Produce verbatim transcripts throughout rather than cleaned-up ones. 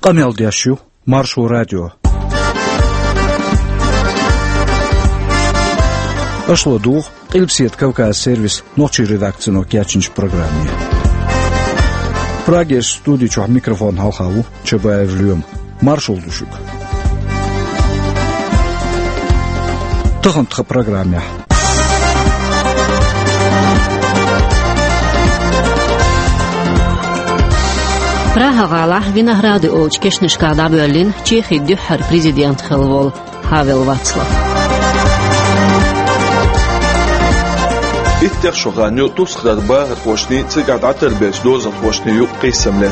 Къамел деш ю Маршо радио. Аша ладугӀу Къилбаседа Кавказан сервисан нохчийн редакцино кечйинчу программе. Прагерчу студи чохь микрофонна хьалха ву Чабаев Лоьма. Маршалла ду шуьга. Тахана тхан программехь. Прага-гӀалахь Виноградови олучу кешнашкахь дӀабоьллина Чехин дуьххьара президент хилла волу Хавел Вацлав. Иттех шо хан ю тӀаьххьара бахархошний, цигахь дӀатарбеллачу дозанхошний юкъа къийсам ле.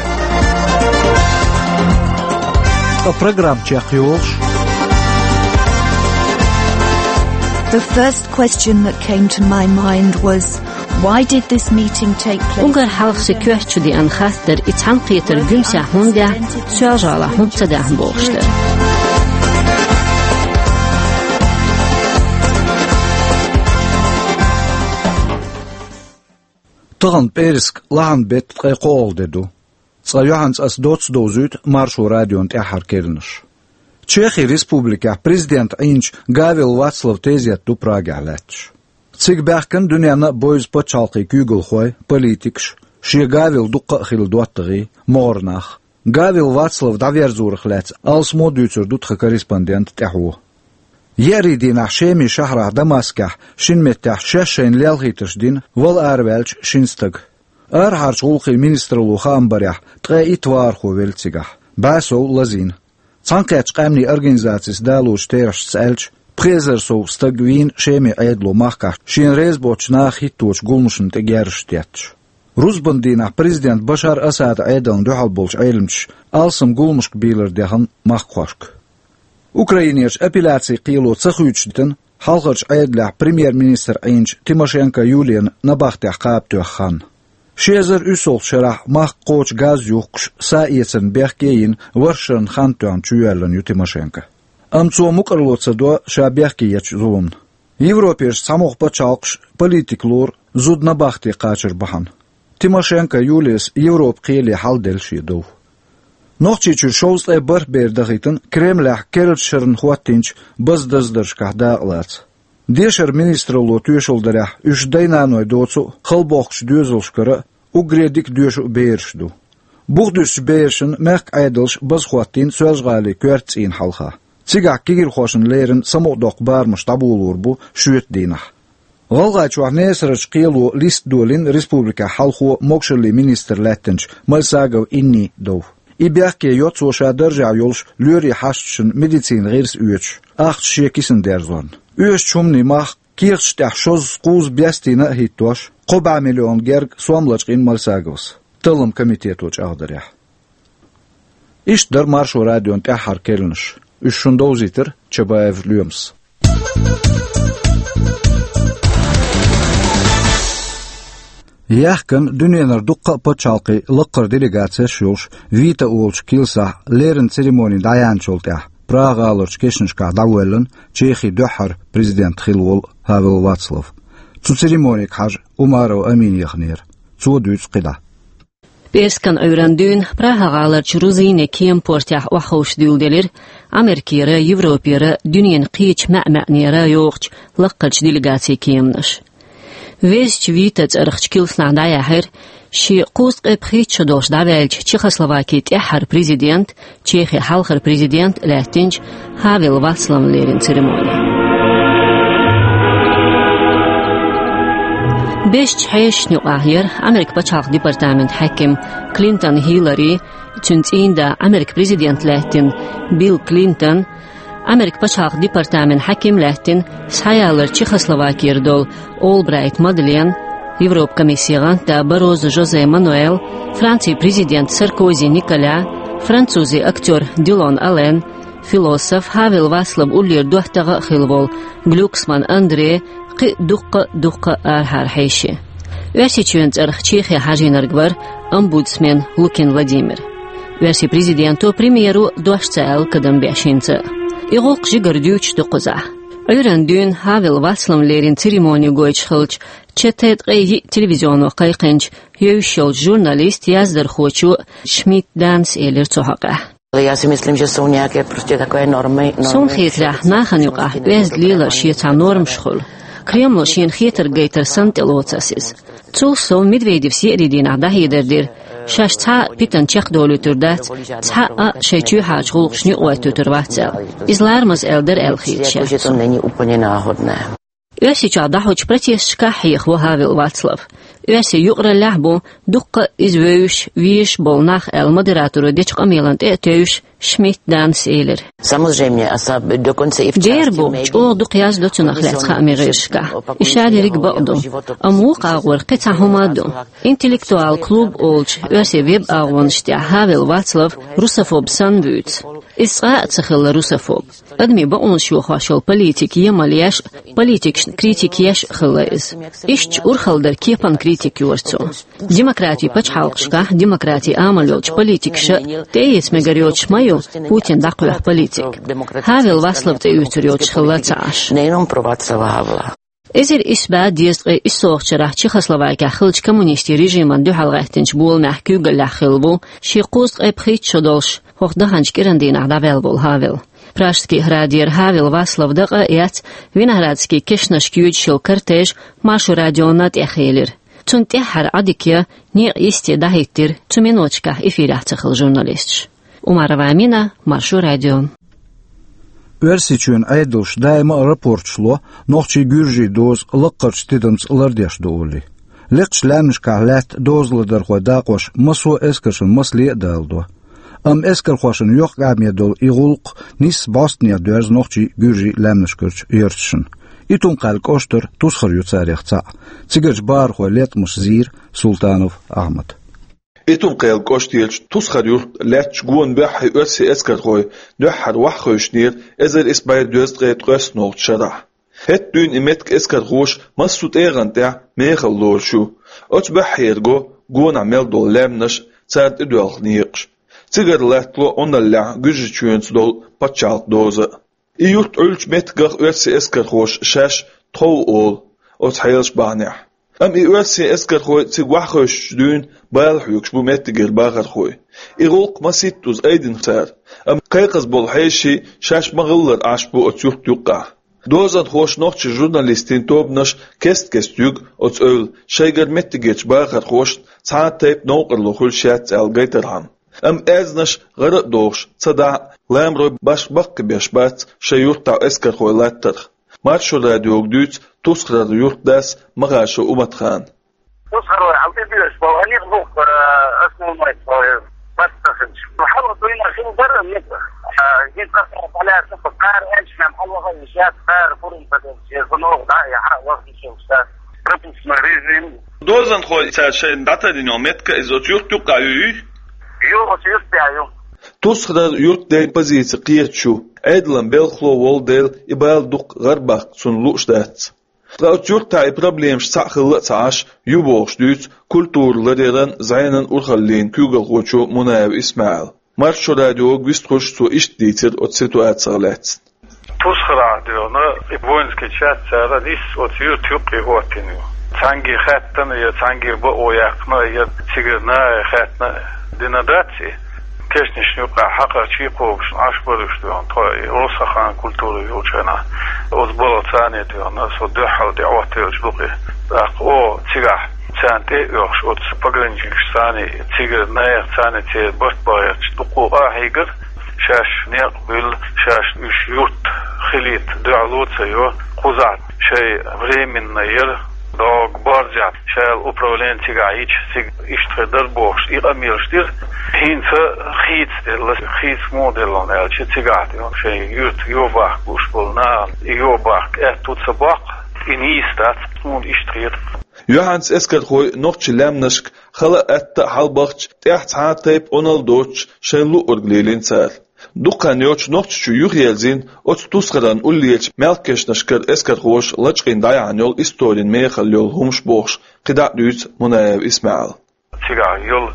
Ткъа программа чекхйолуш. The first question that came to my mind was, why did this meeting take place? Уггар хьалха сан коьрта чу деана хаттар и цхьаьнакхетар Гуьмсехь хӀунда даьхьна Соьлжа-ГӀалахь хӀунда ца даьхьна бохуш дара. Тахана пӀераска лахьан беттан ткъе кхоалгӀа де ду. Цкъа юьхьанца аса доцца довзуьйту Маршо радион тӀаьххьара керланаш. Чехин республикехь президент Ӏийначу Гавел Вацлаван тезет ду Прагехь лаьтташ. Цига баьхкина дуьненна а бевза пачхьалкхийн куьйгалхой, политикаш, шен Гавел дуккха а хилла доттагӀий, могӀара нах. Гавел Вацлав дӀаверзорах лаьцна алсамо а дуьйцур ду тхан корреспондентан тӀаьхьо. Еарин дийнахь Шемин шахьарахь Дамаскехь шина меттехь шаьш шайна лелхийтарш дина вала араваьллачу шина стага. Арахьарчу гӀуллакхийн министралло хаам барехь, ткъе итт вахархо велла цигахь, бӀе сов лазийна. Цхьаьнакхеттачу къаьмнийн организацис далочу терахьашца аьлча, пхи эзар сов стаг вийна Шемин Ӏедало махкахь шена реза боцчу наха хӀитточу гуламашна тӀе герзаш тетташ. Рузбан дийнахь президент Башар Асадан Ӏедална дуьхьал болчу Ӏеламчаша алсам гуламашка бийлар дехна махкахошка. Украинерчу апелляцин кхело ца хуьйцуш дитина хьалхарчу Ӏедалехь премьер-министр Ӏийначу Тимошенко Юлияна набахтехь кхаба тоьхна хан. Ши эзар уьссалгӀачу шарахь махка кхочу газ юхкуш, са эцарна бехке а йина, ворхӀ шарна хан тоьхна чуйоьллина ю Тимошенко. Амма цо мукӀарло ца до ша бехке ечу зуламна. Европерчу цхьамогӀа пачхьалкхаш политика лору зуда набахте кхачар бахьана. Тимошенко Юлияс Европан кхеле хьал делла шен дов. Нохчийчуьра шовзткъе бархӀ бер дахийтина Кремлехь керлачу шарна хӀоттийначу база даздаршкахь дакъалаца. Дешаран министралло тоьшалла дарехь, уьш дай-наной доцу а, халабохкучу доьзалшкара а уггаре дика доьшу а бераш ду. Бухадуьсучу берашна мехкан Ӏедалша база хӀоттийна Соьлжа-ГӀалин коьрта цӀийнан хьалха. Цигахь кегийрхошна леррина самукъадоккху барамаш дӀаболор бу шоьтан дийнахь. ГӀалгӀайчохь Несарарчу кхело листа долийна республикехь хьалхо могушаллин министр лаьттинчу Мальсагова Иннин дов. И бехке йо цо ша даржехь йолуш лоьрийн хьашташна медицинан гӀирс оьцуш, ахча шен кисана дерзорна. Оьшучу хӀуманийн мах кехаташ тӀехь шозза-кхузза бестийна а хӀиттош, кхо бӀе миллион герга сом лачкъийна Мальсаговас, таллам комитето чӀагӀдарехь. Иштта дара Маршо радион тӀаьххьара керланаш. Уьш шуна довзийтира Чабаев Лоьмас. Яьхкина дуьненара дуккха а пачхьалкхийн лакхара делегацеш а йолуш, Вита олучу килсахь леррина церемони дӀаяьхьначул тӀаьхьа Прага-гӀаларчу кешнашкахь дӀавоьллина Чехин дуьххьара президент хилла волу Хавел Вацлав. Цу церемонега хьажа Умарова Амина яханера. Цо дуьйцу кхидӀа. ПӀераскан Ӏуьйранна дуьйна Прага-гӀаларчу Рузине кема портехь охьаховшадуьйладелира Америкера, Европера, дуьненан кхечу маьӀ-маьӀнера йогӀучу лакхарчу делегацийн кеманаш. Везачу Вита цӀарахчу килснахь дӀаяьхьира шен кхузткъе пхийтта шо долуш дӀаваьллачу Чехословакин тӀаьххьара президент, Чехин хьалхара президент а лаьттинчу Хавел Вацлавна леррина церемони. Бежачу хьешашна юкъахь яра Америкин пачхьалкх департаментан хьаьким Клинтон Хиллари, цуьнан цӀийнда Америкин президент лаьттина Билл Клинтон, Америкин пачхьалкх департаментан хьаьким лаьттина схьаяларчу Чехословакера долу Олбрайт Мадлен, Европан комиссин гӀантда Барозо Жозе Мануэл, Францин президент Саркози Николя, французин актер Дилон Ален, философ, Хавел Вацлаван уллера доттагӀа а хилла волу Глюксман Андре, кхин а дуккха а, дуккха а арахьара хьеший. Оьрсийчоьнан цӀарах Чехе хьажийнарг вара омбудсмен Лукин Владимир. Оьрсийн президенто, премьеро дош ца аьлла кадам беш хӀинца а. И гӀуллакх жигара дуьйцуш ду кхузахь. Ӏуьйранна дуьйна Хавел Вацлавна леррина церемони гойтуш хиллачу Ч Т ткъе йиъ телевизионо кхайкхинчу йовзуш йолчу журналисто, яздархочо Шмидт Данас элира цу хьокъехь. Ale já si myslím, že jsou nějaké prostě takové normy, normy. Суна хетарехь, нахана юкъахь оьзда лелар шен цхьа нормаш хуьлу. Кремло шена хетарг гайтар санна тӀелоцу ас иза. Цул сов Медведевс еарин дийнахь дӀахьедар дира, шаьш цхьа а питана чекхдолуьйтур дац, цхьа а шайн чоьхьарчу гӀуллакхашна юкъахӀоттуьйтур вац аьлла. Иза ларамаза аьлла дара аьлла хеташ яц. Jako, že to není úplně náhodné. Оьрсийчохь дӀахьочу протесташкахь хьехаво Хавел Вацлав. Оьрсийн юкъараллехь а бу дуккха а иза вевзаш, везаш а болу нах аьлла модераторо дечу къамелана тӀе а тевжаш, Шмидт Данас элира. Самозрение, а са-, доконца и в части медий. Дера бу, чӀогӀа дукха яздо цунах лаьцна хаамийн гӀирсашкахь. И ша дерриг бакъ ду. Амма вукху агӀор кхин цхьа хӀума а ду. Интеллектуал клуб олучу оьрсийн веб-агӀонаш тӀехь Хавел Вацлав русофоб санна вуьйцу. Иза цкъа а ца хилла русофоб. Адамийн бакъонаш йохош йолу политик емал еш а, политикашна критика еш а хилла иза. Иштта урхаллера кепан критика йора цо. Демократин пачхьалкхашкахь демократин амал йолчу политикаша тӀеэца мегар йоцуш ма ю Путин дӀакхоьхьу политика. Хавел Вацлав цӀе оьцур йоцуш хилла ца Ӏаш. Не йином про Вацлава Гавела. Эзар исс бӀе дезткъе иссолгӀачу шарахь Чехословакехь хиллачу коммунистийн режимана дуьхьал гӀаьттинчу боламехь куьйгаллехь хилла ву шен кхузткъе пхийтта шо долуш хӀокху даханчу кӀиран дийнахь дӀаваьлла волу Хавел. Пражский храдера Хавел Вацлав дакъа а эцна, Виноградский кешнашка йоьдуш йолу кортеж Маршо радиона тӀехъелира. Цунна тӀаьххьара Ӏадика я, некъ йисте дӀахӀиттира цу миноташкахь эфирехь ца хилла журналисташ. Умарова Амина, Маршо радио. Оьрсийчоьнан Ӏедалша даима а рапорташ ло, нохчий-гуьржий доза лаккхарчу тидамца лардеш ду олий. Лекхачу лаьмнашкахь лаьтта дозаладархойн дакъош массо а эскаршна масле а даладо. Амма эскархошна йоккха къаьмнаш долу и гӀуллакх нийсса бӀостанехьа доьрзу нохчий-гуьржий лаьмнашкарчу ярташна. Итум-Кхаьллан кӀоштара Тусхара ю царех цхьаъ. Цигарчу бахархойн латкъамаш зийра Султанов Ахьмада. Итум-Кхаьллан кӀоштарчу Тусхара юьртахь лаьттачу гонан буьххье оьрсийн эскархой дуьххьара охьахевшинера эзар исс бӀе дезткъе ткъайоьсналгӀачу шарахь. ХӀетахь дуьйна и меттиг эскархоша массо а тӀегӀан тӀехь мехала лоруш ю. Оцу буьххьера го гонахь мел долу лаьмнаш, цара тӀедоьлху некъаш. Цигара латтало Ӏуналлехь Гуьржийчоьнца долу пачхьалкхан доза а. И юрт Ӏуьллучу меттигах оьрсийн эскархоша шаьш тхов олу оцу хьелаш бахьанехь. Амма и оьрсийн эскархой цига охьахевшичу дуьйна бала хьоьгуш бу меттигера бахархой. И гӀуллакх масийттаза айдина цара, амма кхайкхаза болу хьеший шаьш ма-гӀиллара Ӏаш бу оцу юрта юккъехь. Дозанхоша нохчийн журналистийн тобанаш кест-кеста юьгу оцу эвла шайгара меттигерчу бахархошна цхьа а тайпа новкъарло хуьлуш яц аьлла гайтархьама. Амма аьзнаш гӀара а дохуш, цадахь а ламарой башха баккхийбеш бац шайн юьртахь эскархой латтарх. Маршо радиога дуьйцу Тусхарара юьртдас Махашев Уматхан. Тусхарой хьал тӀедоьжуш болу гӀанийх бухкара основной баттахинчу. Хьалха дуйна хила дара, а, хӀинца кхара аьлча, кхара аьлча, мем хьалваха йиш яц, кхара пурам ца деза, шен гӀо ногӀу дӀа а яхьа, ваха йиш йолуш дац. Пропускной режим. Дозанхой цара шайна дӀатарйина йолу меттиг иза оцу юьрта юккъехь ю, юй? Ю, оцу юьртахь ю. Тусхарара юьртден позици кхеташ ю, Ӏедалан белхало волу дела и бала дукха гӀарабаккха цунна лууш дац. Ткъа оцу юьртахь и проблемаш цхьаъ хилла а ца Ӏаш, ю бохуш дуьйцу культуран ларъяран, зӀенан урхаллин куьйгалхочо Мунаев ИсмаӀила. Маршо радиога вистхуьлуш цо иштта дийцира оцу ситуацех лаьцна. Тусхарахь дуьйна, и воинский часть цара нийсса оцу юьрта юккъе хӀоттийна ю. Цхьаьнгге хаьттина я цхьаьнгге бакъо яьккхина, я цигара нахе хаьттина дина дац и. Кешнашна юккъехь хьакхарчий кхобуш Ӏаш бара уьш дуьйна, тхо и Росаханан культура йолчу хенахь. Оцу балха царна дуьйна, со дуьххьал тӀе Ӏоттаелча дукха. ТӀаккха оха цигахь царна тӀе а оьхуш, оцу пограничникашца царна, цигара нахаца царна церан барт бахьарчу дуккха а хьийгара, шаьш некъ буьллу, шаьш уьш юрт хилийта дуьхьало а ца йо, кхузахь шайн временный яра, дог борзя шаьлла управление цигахь йича, цига иштта хир дара бохуш, и къамелаш дира. ХӀинца хийцаделла, хийца муха делла аьлча, цигахь тӀе шайн юьртах йо бахка лууш болу нахана, и йо бахка аьтту ца боккху, и нийса дац, суна иштта хета. Юьхьанца эскархой нохчийн лаьмнашка хала а, атта а хьалабахча, тӀехь цхьа а тайпа Ӏуналла доцуш шайна луъург лелийна цара. Дукха хан йоццуш Нохчийчу юхаерзийна оцу Тусхаран уллерчу мелккешнашкара эскархоша лачкъийна дӀаяьхьна йолу историн мехалла йолу хӀумаш бохуш, кхидӀа а дуьйцу Мунаев ИсмаӀила. Цигахь йолу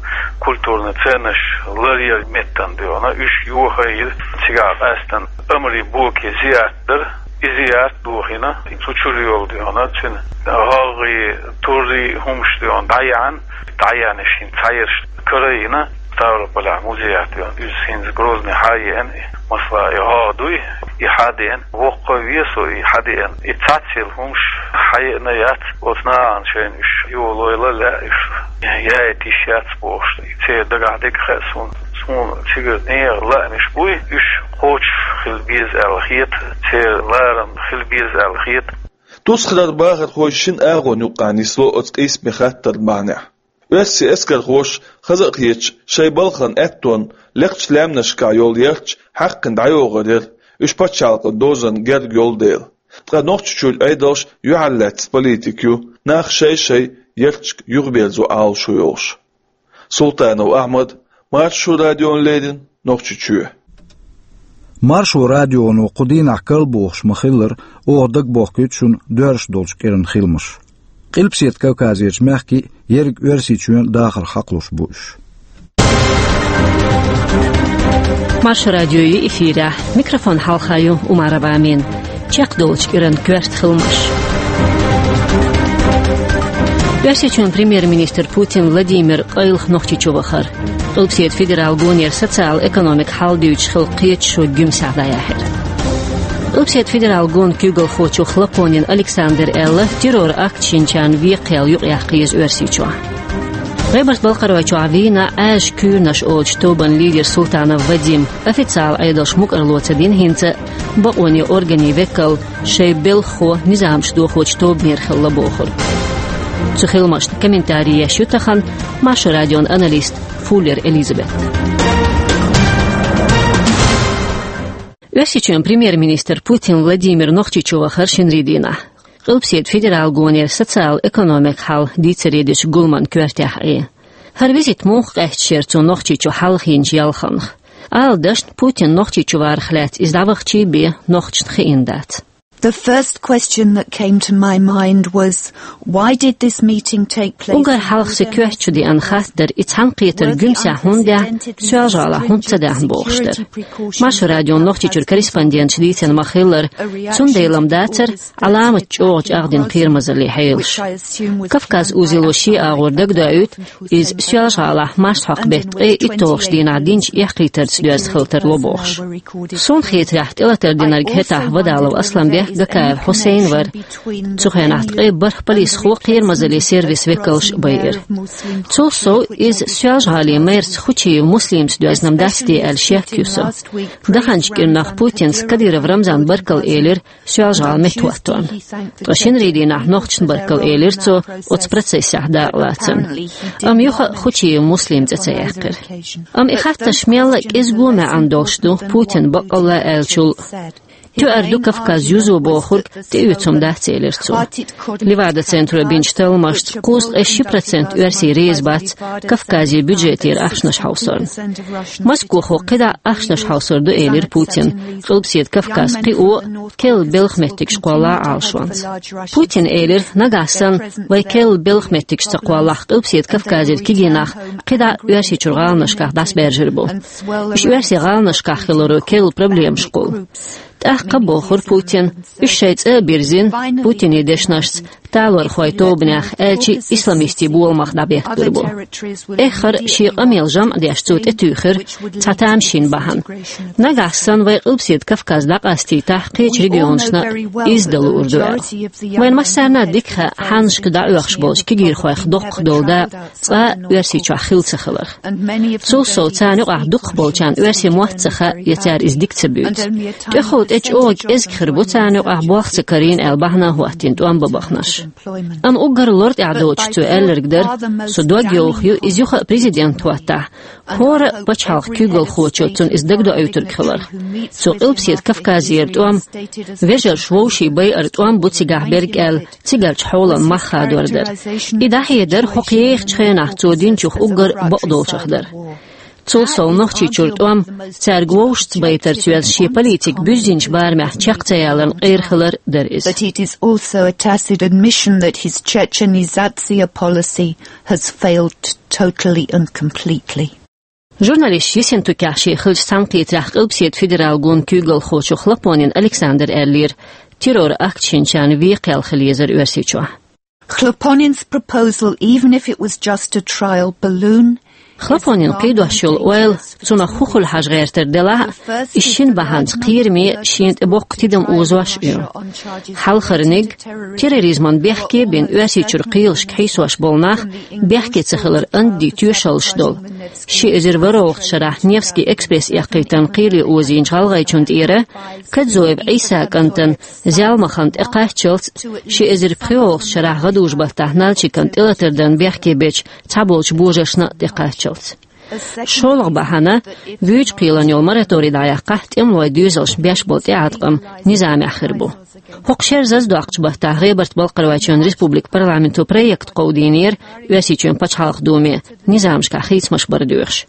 культурный ценносташ ларъяран меттана дуьйна, уьш йохайира. Цигахь къаьстина омрий, бокий зиярт дара. И зиярт дохийна, цу чуьра йолу дуьйна, цуьнан гӀагӀгӀий, туррий хӀумаш дуьйна дӀаяьхьна, дӀаяьхьна шин цхьаерш карайина, Ставрополь музея тӀе, иза хӀинца Грозный хьаеана, масала, и гӀо дуй, и хьадеана, воккха весо и хьадеана. И цхьацца хӀумаш хьаеана яц, оцу нахана шайна уьш йолойла лаьа уьш, яйта йиш яц бохуш. И церан дагахь дерг хаьа суна. Суна цигара нехан лаамаш буй, уьш кхочуш хила беза аьлла хета, церан ларам хила беза аьлла хета. Тусхарара бахархой шина агӀонна юккъехь нисло оцу къийсаме хаттаран бахьанехь. Оьрсийн эскархоша, хаза а хеташ, шайн балхана аьттонна лекхачу лаьмнашкахь йолу ярташ хьаькхна дӀайогӀур яра, уьш пачхьалкхан дозанна герга йолу дела. Ткъа Нохчийчуьра Ӏедалш юьхьарлаьцна политика ю, нах шай-шайн ярташка юхаберзо Ӏалашо йолуш. Султанов Ахьмад, Маршо радиона леррина, Нохчийчоь. Маршо радионо кху дийнахь карладохуш ма-хиллара, оха дагабохкуьйту шуна доьрзуш долчу кӀиран хиламаш. Къилбаседа Кавказерчу мехкийн, ерриг Оьрсийчоьнан дахарх хьакхалуш бу уьш. Маршо радио ю эфирехь. Микрофон хьалха ю Умарова Амина. Чекхдолучу кӀиран коьрта хиламаш. Оьрсийчоьнан премьер-министр Путин Владимир къайлаха Нохчийчу вахара. Къилбаседа федералан гонера социал-экономикан хьал дуьйцуш хилла кхеташо Гуьмсехь дӀаяьхьира. Къилбаседа федералан гонан куьйгалхочо Хлопонин Александра аьлла, террор-акт шинчарна вен кхел юкъаяккха еза Оьрсийчохь. ГӀебарта-Балкхаройчохь вийна Ӏаьржа куьйранаш олучу тобанан лидер Султанов Вадим, официалан Ӏедалша мукӀарло ца дина хӀинца а, бакъонийн органийн векал шайн белхахо низамаш дохочу тобанера хилла бохург. Цу хиламашна комментари еш ю тахана Маршо радион аналист Фуллер Элизабет. Оьрсийчоьнан премьер-министр Путин Владимир Нохчийчу вахара шинарин дийнахь. Къилбаседа федералан гонера социал-экономикан хьал дийцаре дечу гуламан коьртехь Ӏе. ХӀара визит муха къаьсташ яра цо Нохчийчу хьалха йинчу ялханах? Ала дашна, Путин Нохчийчу варах лаьцна иза дӀавахча бен нохчашна хиъна дац. The first question that came to my mind was, why did this meeting take place? Уггар хьалха сан коьрта чу деана хатта дара, и цхьаьнакхетар Гуьмсехь хӀунда даьхьна, Соьлжа-ГӀалахь хӀунда ца даьхьна бохуш дара. Маршо радион Нохчийчуьра корреспонденташа дийцина ма-хиллара, цундела-м дацара Ӏаламат чӀогӀа чӀагӀдина кхерамазаллин хьелаш. Кавказ узело шен агӀор дагадоуьйту, иза Соьлжа-ГӀалахь марсхьокху беттан ткъе итталгӀачу дийнахь динчу эккхийтарца доьзна хила тарло бохуш. Суна хетарехь, тӀелатар динарг хӀетахь Вадалов Асланбек, Гакаев Хьусайн вара. Цу хенахь ткъе бархӀ полисхо, кхерамазаллин сервисан векалш а байира. Цул сов, иза Соьлжа-ГӀалин мэрца Хучиев Муслимца доьзна-м дац те аьлла шек ю сан. Даханчу кӀирнах Путинца Кадыров Рамзана баркалла элира Соьлжа-ГӀала меттахӀоттонна. Ткъа шинарин дийнахь нохчашна баркалла элира цо оцу процессехь дакъалацарна. Амма юха а Хучиев Муслим цӀе ца яьккхира. Амма и хаттарш мелла а кӀезиго маьӀна долуш ду, Путина баккъалла аьллачул. Тоьар ду Кавказ юзо бохург, тӀеоьцу хӀума дац, элира цо. Левада-центро бинчу талламашца, кхузткъе ши процент оьрсий реза бац Кавказе бюджетера ахчанаш хьовсорна. Москвахо кхидӀа а ахчанаш хьовсур ду, элира Путина, Къилбаседа Кавказ кхио а, керла белхан меттигаш кхолла а Ӏалашонца. Путина элира, нагахь санна вай керла белхан меттигаш ца кхоллахь, Къилбаседа Кавказера кегий нах кхидӀа а Оьрсийчуьра гӀаланашкахь дӀасабаьржар бу. Уьш оьрсийн гӀаланашкахь хиларо керла проблемаш кхуллу. ТӀаккха, бохура Путина, уьш шайн цӀа а бирзина, Путинан дешнашца, талорхойн тобанех, аьлча а исламистийн боламах дӀабетталур бу. Эххар а шен къамел жамӀ а деш, цо тӀетуьйхира цхьа тамашийна бахьана. Нагахь санна вай Къилбаседа Кавказ дӀакъастийтахь, кхечу регионашна а изза дан луур ду аьлла. Вайн массарна а дика хаьа, хьаннашка дӀаоьхуш болчу кегийрхойх доккхах долу дакъа цкъа а Оьрсийчохь хилла ца хиларх. Цул сов, царна юкъахь дукхахболчарна оьрсийн мотт ца хаьа, я цара иза дика ца буьйцу. ТӀехула тӀе чӀогӀа кӀезиг хир бу царна юкъахь болх ца карийна аьлла бахьана а хӀоттийна тӀом бан баханарш. Амма уггар лартӀехь доцуш цо аьлларг дара, со дог йовха ю, иза юха а президент хӀоттахь, хӀора а пачхьалкхан куьйгалхочо цунна иза дагадоуьйтург хиларх. Цо Къилбаседа Кавказера тӀом, вежарша вовшийн байар тӀом бу цигахь берг аьлла, цигарчу хьолан мах хадор дара. И дӀахьедар хӀокху ехачу хенахь цо динчух уггар бакъдолчух дара. Цул сов, Нохчийчуьра тӀом, цаьрга вовшашца байтарца йоьзна шен политика буьззинчу барамехь чекх ца яларна къера хилар дара иза. But it is also a tacit admission that his Chechenizatsiya policy has failed totally and completely. Журналисташ йисина тукехь шен хиллачу цхьаьнакхетарехь Къилбаседа федералан гонан куьйгалхочо Хлопонин Александра аьллера, террор-акт шинчарна вен кхел хила езара Оьрсийчохь. Хлопоnin's proposal, even if it was just a trial balloon, Хлопонин кхийдош йолу ойла, цунах хӀун хуьлу хьажа гӀертар делахь а, и шина бахьанца кхераме шена тӀе боккха тидам озош а ю. Хьалхарниг, терроризман бехке а бина, Оьрсийчуьра кхелашка хьийсош болу нах бехке ца хилар анди тоьшаллаш долу, ши эзар ворхӀалгӀачу шарахь Невский экспресс эккхийтарна кхеле озийначу гӀалгӀайчунна тӀера, Кадзоев Ӏийса кӀантана Зелмахана тӀекхаччалц, ши эзар пхоьалгӀачу шарахь гӀадужу-баттахь Нальчикана тӀелатар дарна бехке бечу цхьаболчу божаршна а тӀекхаччалц. ШолгӀа бахьана, вуьйчу кхелана йолу мораторий дӀаяккхахь, тӀемалойн доьзалшна беш болу тӀеӀаткъам низамехь хир бу. ХӀокху шеран зазадоккхучу баттахь ГӀебарта-Балкхаройчоьнан республикан парламенто проект кховдийнера Оьрсийчоьнан Пачхьалкхан Думе, низамашкахь хийцамаш бар доьхуш.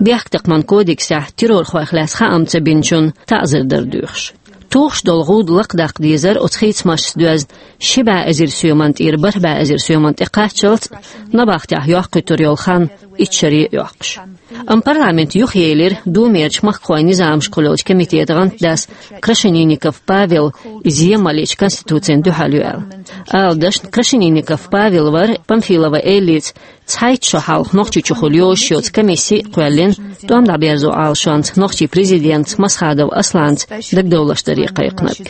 Бехктакхаман кодексехь террорхойх лаьцна хаам ца бинчунна таӀзар дар доьхуш. Тухуш долу гӀуда лакхадаккха дезара оцу хийцамашца доьзна ши бӀе эзар соьман тӀера бархӀ бӀе эзар соьман тӀекхаччалц, набахтехь йоккхуьйтур йолу хан итт шаре а йоккхуш. Амма парламент юхаелира Думерчу махкахойн низамашкахула йолчу комитетан гӀантдас Крашенинников Павел, иза емалличу конституцина дуьхьал ю аьлла. Ала дашна, Крашенинников Павел вара Памфилова Эллица цхьайтта шо хьалха Нохчийчухула йозуш йоцу комисси а кхоьллина, тӀом дӀаберзо Ӏалашонца нохчийн президентца Масхадов Асланца дагадовларш даре кхайкхинарг.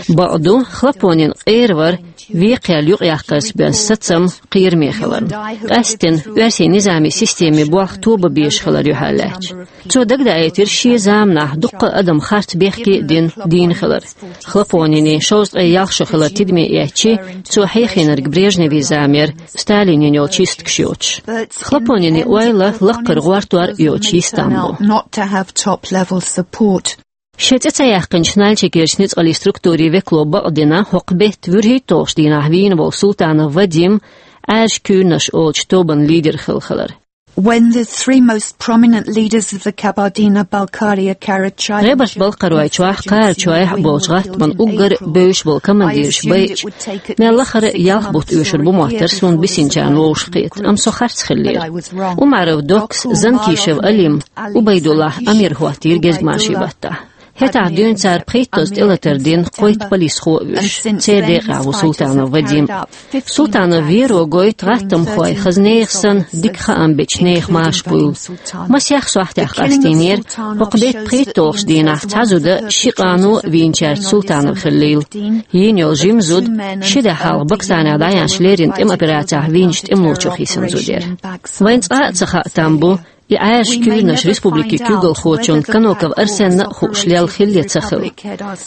Бакъду, Хлопонин къера вара векхаелла юкъаяккхарца боьзна сацам кхераме хиларна. Къаьсттина, оьрсийн низамийн системин болх тоба безаш хилар юьхьарлаьцча. Цо дагадаийтира шен заманахь дуккха а адам харц бехке а дина, дийна хилар. Хлопонина шовзткъе ялх шо хилар тидаме эцчи, цо хьехийнарг Брежневн зама яра, Сталинан йолу чистигаш йоцуш. Хлопонинан ойла лаккхара гӀортор а йоцуш йистам бу. Not to have top level support. Шен цӀе ца яьккхинчу Нальчикерчу ницкъаллин структурийн векало бакъдина хӀокху беттан вуьрхӀитталгӀачу дийнахь вийна волу Султанов Вадим Ӏаьржачу куьйранаш олучу тобанан лидер хила хилар. When the three most prominent leaders of the Kabardino-Balkaria Karachuian ГӀебарта-Балкхаройчохь, Кхарачойхь болчу гӀаттаман уггар бевзаш болу командираш байча, мел лахара ялх бутт оьшур бу моттара суна бисинчарна вовшахкхета, амма со харц хиллера. Умаров Доккас, Занкишев Алим, Убайдуллахь Амир хӀоттийра гезгмашин баттахь. ХӀетахь дуьйна цара пхийттазза тӀелатар дина кхойтта полисхо а вуьйш, церан декъехь ву Султанов Вадим. Султанов веро гойту гӀаттамхой хаза нехан санна дика хаам бечу нехан маша буйла. Масех сохьтех къастийнера, хӀокху беттан пхийтталгӀачу дийнахь цхьа зуда ши къано а вийначаьрца Султанов хиллийла. Йийна йолу жима зуда ши де хьалха Баксанехь дӀаяьхьначу леррина тӀеман операцехь вийначу тӀемалочух йисина зуда яра. Вайна цкъа а ца хаьа там бу, и Ӏаьржачу куьйранаш республикин куьйгалхочунна Каноков Арсенна а хууш лелла хилла я ца хилла.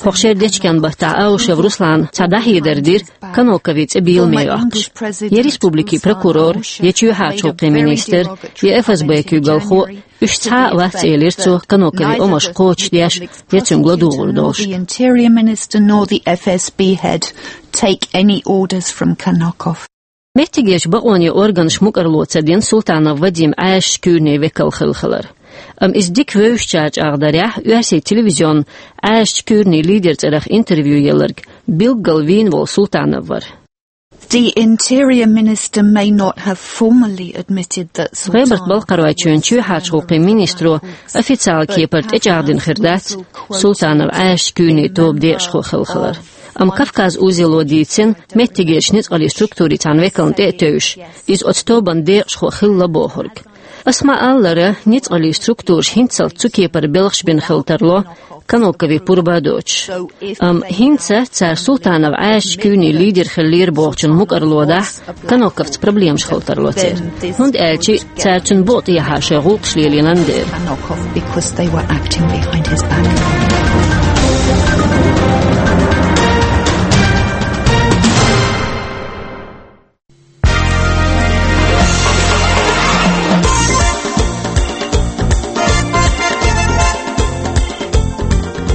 ХӀокху шеран дечкен баттахь Аушев Руслана цхьа дӀахьедар дира Каноковн цӀе беламе йоккхуш. Я республикин прокурор, я чоьхьарчу гӀуллакхийн министр, я Ф С Б куьйгалхо, уьш цхьа а вац, элира цо, Каноковн омаш кхочушдеш, я цуьнга ладугӀур долуш. Neither the Interior Minister nor the F S B head take any orders from Kanokov. Меттигерчу бакъонийн органаша мукӀарло ца дина Султанов Вадим Ӏаьржачу куьйранийн векал хила хилар. Амма иза дика вевзачара чӀагӀдарехь, оьрсийн телевизионна Ӏаьржачу куьйранийн лидеран цӀарах интервью елларг билггал вийна волу Султанов вара. The Interior Minister may not have formally admitted that Султанов was ГӀебарта-Балкхаройчоьнан чоьхьарчу гӀуллакхийн министро официалан кепара тӀечӀагӀдина хир дац Султанов Ӏаьржачу куьйранийн тобан декъашхо хила хилар. Амма Кавказ узело дийцина меттигерчу ницкъаллин структурийн цхьана векална тӀе а тевжаш, иза оцу тобанан декъашхо хилла бохург. Ас ма-аллара, ницкъаллин структураша хӀинццалц цу кепара белхаш бина хила тарло Каноковн пурба а доцуш. Амма хӀинца цара Султанов Ӏаьржачу куьйранийн лидер хиллера бохучун мукӀарло дахь, Каноковца проблемаш хила тарло церан. ХӀунда аьлча цара цуьнан букъа тӀехьа шайн гӀуллакхаш лелийнан дела. Kanokov because they were acting behind his back.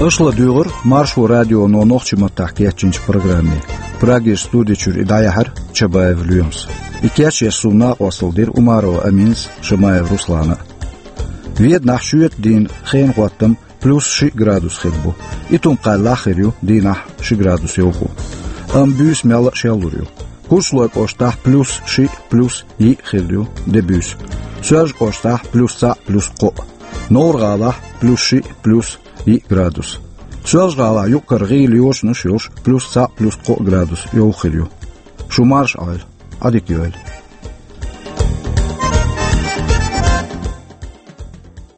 Аша ладуьйгӀура Маршо радионо нохчийн маттахь кечйинчу программе. Прагерчу студи чуьра и дӀаяьхьира Чабаев Лоьмас. И кечъеш суна накъосталла дира Умарова Аминас, Шамаев Руслана а. Веданахь шоьтан дийнахь хенан хӀоттам плюс шиъ градус хир бу. Итум-Кхаьллахь хир ю дийнахь ши градус йовхо. Амма буьйса мелла а шеллур ю. Курчалойн кӀоштахь плюс шиъ, плюс йиъ хир ю де буьйса. Соьлжа-кӀоштахь плюс цхьаъ, плюс кхоъ. Новр-ГӀалахь плюс шиъ, плюс йиъ градус. Соьлжа-ГӀалахь юкъ-кара гӀийла йочанаш йолуш плюс цхьаъ, плюс кхоъ градус йовха хир ю. Шу марша Ӏойла, Ӏадика йойла.